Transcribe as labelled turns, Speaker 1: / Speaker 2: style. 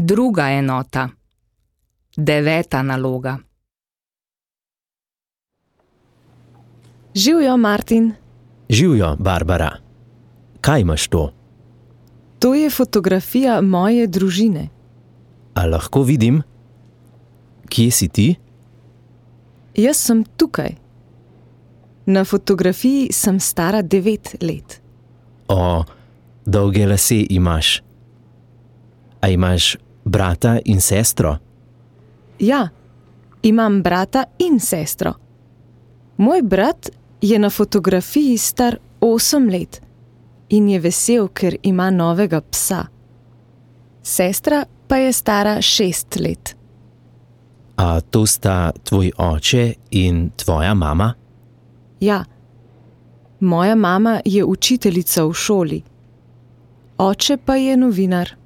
Speaker 1: Druga enota. 9. naloga.
Speaker 2: Živjo, Martin.
Speaker 3: Živjo, Barbara. Kaj imaš to?
Speaker 2: To je fotografija moje družine.
Speaker 3: A lahko vidim? Kje si ti?
Speaker 2: Jaz sem tukaj. Na fotografiji sem stara 9 let.
Speaker 3: O, dolge lase imaš. A imaš brata in sestro?
Speaker 2: Ja, imam brata in sestro. Moj brat je na fotografiji star 8 let in je vesel, ker ima novega psa. Sestra pa je stara 6 let.
Speaker 3: A to sta tvoj oče in tvoja mama?
Speaker 2: Ja, moja mama je učiteljica v šoli. Oče pa je novinar.